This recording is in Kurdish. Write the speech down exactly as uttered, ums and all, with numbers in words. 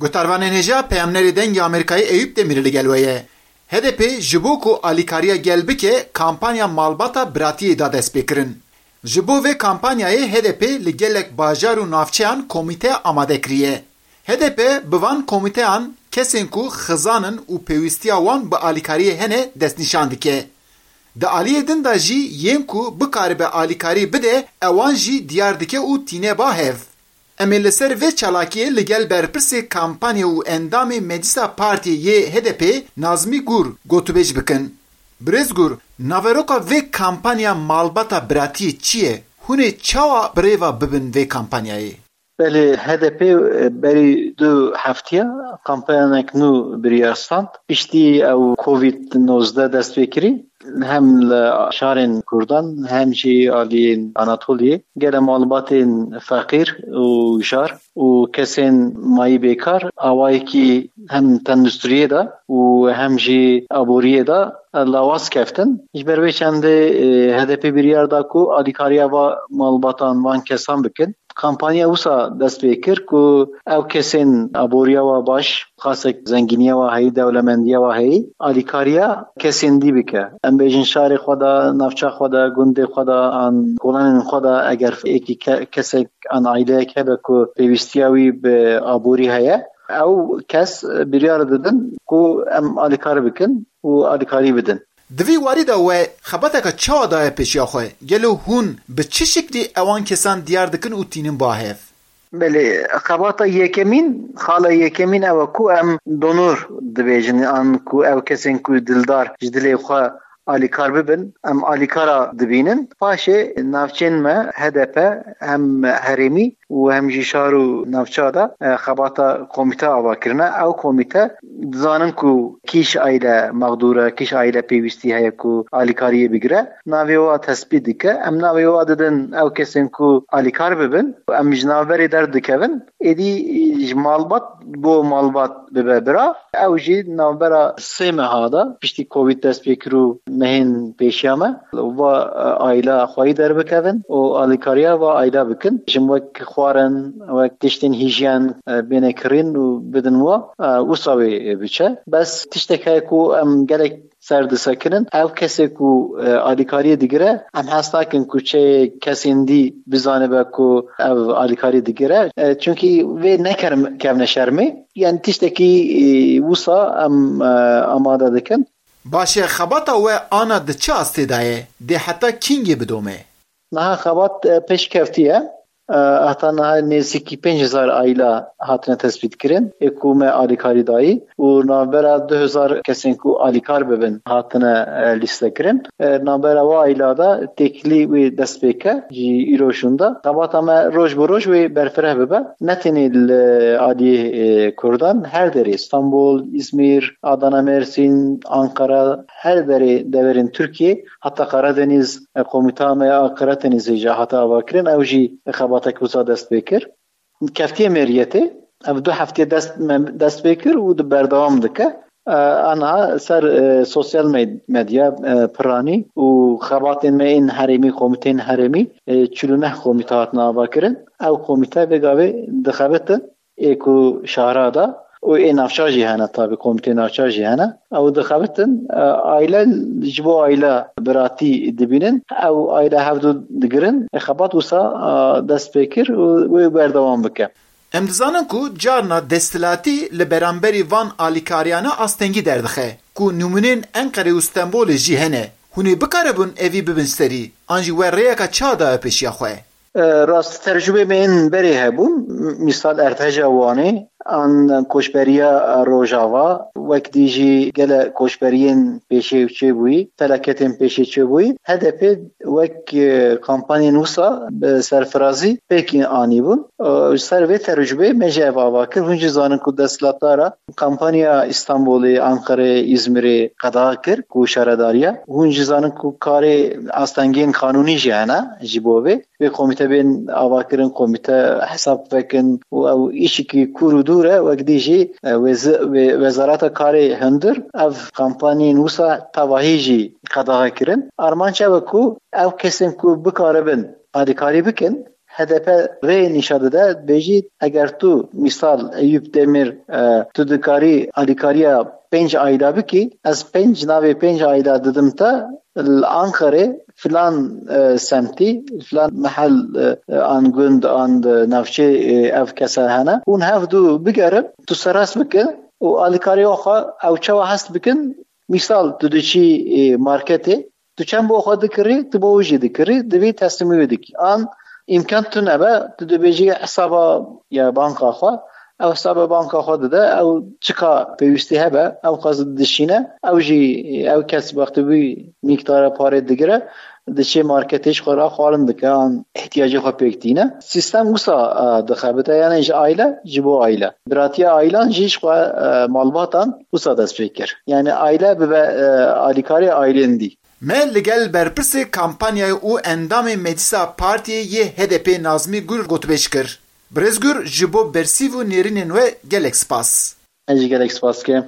Guhdarvanên hêja peyamnerê Dengê Amerîkayê Eyûp Demîrî li gel we ye. H D P ji bo ku alîkariya gel bike, kampanya malbata biratiyê da destpêkirin. Ji bo vê kampanyayê H D P li gelek bajar û navçeyan komîte amade kiriye. H D P bi van komîteyan kesên ku xizan in û pêwîstiya wan bi alîkariyê hene destnîşan dike. Di aliyê din de jî yên ku bikaribe alîkarî bide, ewan jî diyar dike û tîne ba hev. Em ê li ser vê çalakiyê li gel berpirsê kampanyê û endamê Meclisa Partiyê yê H D P Nazmî Gur gotûbêj bikin. Birêz Gur, naveroka vê kampanya malbata biratiyê çi ye? Hûn ê çawa birêva bibin vê kampanyayê? Belê, H D P berî du heftiya kampanyanek nû biryar stand. Piştî ew Covid nozdeh dest pê kirî, hem li şarên Kurdan, hem jî aliyên Anatoliyê, gele malbatên feqîr û jar û kesên mayî bêkar awayekî hem tendusturiyê de û hem jî aboriyê de lawaz keftin. Ji ber vê çendê, e, H D P biryar da ku alîkariya va malbatan van kesan bikin. Kampanya wisa dest pê kir ku ew kesên aboriya wa baş, xasek zengîniya wa heyî, dewlemendiya wa heyî, alîkariya kesên dî bike. Em bêjin şarê xwe de, navça xwe de, gundê xwe de, an kolanên xwe de eger êkî ke-, kesek an aîleyek hebe ku pêwîstiya wî bi aborî heye, ew kes biryar didin ku em alîkar bikin û alîkarî bidin. Di vî warî de we xebateke çawa daye pêşiya xwe? Gelo hûn bi çi şiklî ewan kesan diyar dikin û tînin ba hev? Belê, xebata yekemîn, xala yekemîn ew e ku em donor dibêjin, an ku ew kesên ku dildar ji dilê xwe alîkar bibin, em alîkara dibînin. Paşê navçên me H D P hem herêmî û hem jî şar û navça de, e, xebata komîte ava kirine. Ew komîte dizanin ku kîş aîle mexdûr e, kîş aîle pêwîstî heye ku alîkariyê bigire. Navê wa tespît dike. Em navê wa didin ew kesên ku alîkar bibin. Em ji navberê derdikevin. Êdî ji malbat bo malbat bibe bira. Ew jî navbera sê meha de piştî Covid dest pê kir û mehên pêşiya me va, e, aîla xweyî derbikevin û alîkariya va aîla bikin. Jin wek xwarin, wek tiştên hîjyen, e, bêne kirîn û bidin wa, e, wisa wê biçe. Bes tiştek heye ku em gelek ser disekinin. Ev kesê ku, e, alîkariyê digire, em hez nakin ku çê kesên dî bizanibe ku ev alîkarî digire. E, çunkî vê nekerim kevne şermê. Yani tiştekî, e, wisa em, e, amade dikin. Baş e, xebata we ana di çi astê de ye? Dê heta kîngê bidome? Niha xebat, e, pêşkevtî ye. E, heta niha nêzîkî pênc hezar aîla hatine tespît kirin, ê ku me alîkarî dayî û navbera du hezar kesên ku alîkar bibin hatine, e, lîste kirin. E, navbera wa aîla de têkilî wê dest pê ke ji îro şûnde. Xebata me roj bi roj wê berfireh bibe. Ne tenê li aliyê, e, Kurdan, her derê, Stenbol, Îzmîr, Adana, Mersîn, Ankara, her derê deverên Tirkiyê, heta Karadeniz, e, komîta me ya Karadenizê jî hate avakirin, ew jî xebatek wisa dest pê kir. Keftiye meriyetê, ev du heftê dest, me dest pê kir û di berdewam dike. E, aniha ser, e, sosyal med-, medya, e, piranî û xebatên me ên herêmî, komîteyên herêmî, e, çil û neh komîte hatine avakirin. Ew komîte vê gavê dixebitin ê ku şahra de û ê navça jî hene, tabî komîtê navça jî hene. Ew dixebitin, e, aîle ji bo aîle biratî dibînin. Ew aîle hevdu digirin. E, xebat wisa, e, dest pê kir û wê berdewam bike. Em dizanin ku carna desthilatî li beramberî van alîkariyane astengî derdixe, ku nimûnên Enqerê û Stenbolê jî hene. Hûn ê bikaribin evî bibin serî, an jî we rêyeke çawa daye pêşiya xwe? E, rast, tercûbê me yên berê hebûn, mîsal erdheja Wanê, an koçberiya Rojava, wek dî jî gele koçberiyên pêşê çêbûyî, felaketên pêşê çêbûyî, H D P wek, e, kampanyên wisa bi serfirazî pêkî anîbûn. E, ji ser vê tercûbê me jî ev ava kir. Hûn jî zanin ku desthilatdara kampanya Îstanbulê, Anqerê, Îzmirê qedexe kir ku şaredariya. Hûn jî zanin ku karê astengên qanûnî jî hene ji bo vê. Vê komîte bên avakirin, komîte hesab vekin û ew îşikî kûr û dûr e, wek dî jî, e, wez-, wê-, Wezareta Karê Hundir ev kampanyên wisa tevahî jî qedexe kirin. Armanc ew e ku ew kesên ku bikaribin alîkarî bikin, H D P rê nîşan dide, dibêjî eger tu mîsal Eyûp Demîr, e, tu dikarî alîkariya pênc aîla bikî, ez pênc navê pênc aîla didim te, li Anqerê filan, e, semtî, filan mehel, e, an gund, an, e, navçê, e, ev kese hene. Hûn hevdu bigerin, tu serast bikin û alîkariya xwe ew çawa hest bikin. Mîsal, tu diçî, e, marketê, tu çend bo xwe dikirî, tu bo wî jî dikirî, divî teslîmî wî dikî. An îmkan tune be, tu dibêjî hesaba ya banka xwe, ew hesaba banka xwe dide, ew çika pêwîstî hebe, ew xwe dişîne, ew jî, ew kes wextê wî mîqdara parê digire, diçê marketê ji xwe re xwarin dike, an ihtiyacê xwe pêk tîne. Sîstem wisa, e, dixebite, yani ji aile, ji bo aile. Biratiya ailan jî ji xwe, e, malbatan wisa dest pê kir. Yani aile bibe, e, alîkarê ailên dî. Me li gel berpirsê kampanyayê û endamê Meclisa Partiyê yê H D P Nazmî Gur gotûbêj kir. Birêz Gur, ji bo bersîv û nêrînên we gelek spas. Ez jî gelek spas dikim.